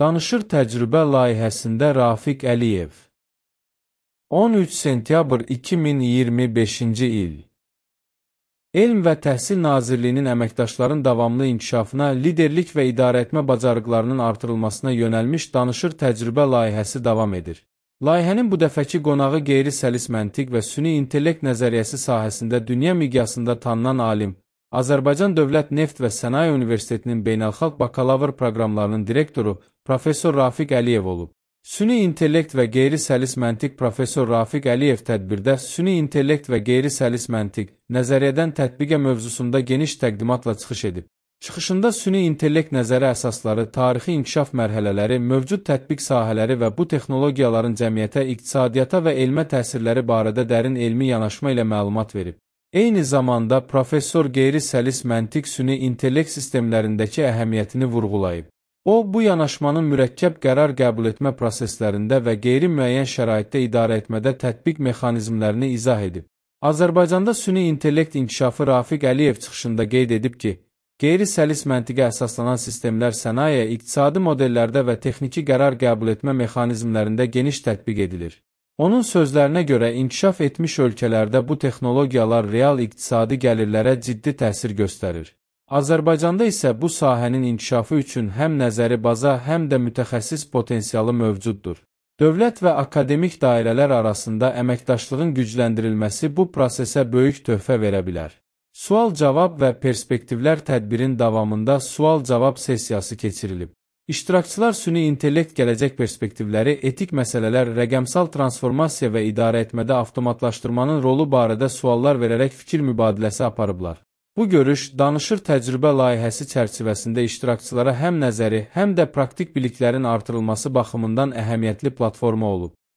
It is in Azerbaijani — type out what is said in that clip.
Danışır təcrübə layihəsində Rafiq Əliyev. 13 sentyabr 2025-ci il. Elm və Təhsil Nazirliyinin əməkdaşların davamlı inkişafına, liderlik və idarəetmə bacarıqlarının artırılmasına yönəlmiş danışır təcrübə layihəsi davam edir. Layihənin bu dəfəki qonağı qeyri-səlis məntiq və süni intellekt nəzəriyyəsi sahəsində dünya miqyasında tanınan alim, Azərbaycan Dövlət Neft və Sənaye Universitetinin beynəlxalq bakalavr proqramlarının direktoru Professor Rafiq Əliyev olub. Süni intellekt və qeyri-səlis məntiq Professor Rafiq Əliyev tədbirdə süni intellekt və qeyri-səlis məntiq nəzəriyyədən tətbiqə mövzusunda geniş təqdimatla çıxış edib. Çıxışında süni intellekt nəzəri əsasları, tarixi inkişaf mərhələləri, mövcud tətbiq sahələri və bu texnologiyaların cəmiyyətə, iqtisadiyyata və elmə təsirləri barədə dərin elmi yanaşma ilə məlumat verib. Eyni zamanda professor qeyri-səlis məntiq süni intellekt sistemlərindəki əhəmiyyətini vurğulayıb. O, bu yanaşmanın mürəkkəb qərar qəbul etmə proseslərində və qeyri-müəyyən şəraitdə idarə etmədə tətbiq mexanizmlərini izah edib. Azərbaycanda süni intellekt inkişafı Rafiq Əliyev çıxışında qeyd edib ki, qeyri-səlis məntiqə əsaslanan sistemlər sənaye, iqtisadi modellərdə və texniki qərar qəbul etmə mexanizmlərində geniş tətbiq edilir. Onun sözlərinə görə inkişaf etmiş ölkələrdə bu texnologiyalar real iqtisadi gəlirlərə ciddi təsir göstərir. Azərbaycanda isə bu sahənin inkişafı üçün həm nəzəri baza, həm də mütəxəssis potensialı mövcuddur. Dövlət və akademik dairələr arasında əməkdaşlığın gücləndirilməsi bu prosesə böyük töhfə verə bilər. Sual-cavab və perspektivlər tədbirin davamında sual-cavab sessiyası keçirilib. İştirakçılar süni intellekt gələcək perspektivləri, etik məsələlər, rəqəmsal transformasiya və idarəetmədə avtomatlaşdırmanın rolu barədə suallar verərək fikir mübadiləsi aparıblar. Bu görüş, danışır təcrübə layihəsi çərçivəsində iştirakçılara həm nəzəri, həm də praktik biliklərin artırılması baxımından əhəmiyyətli platforma olub.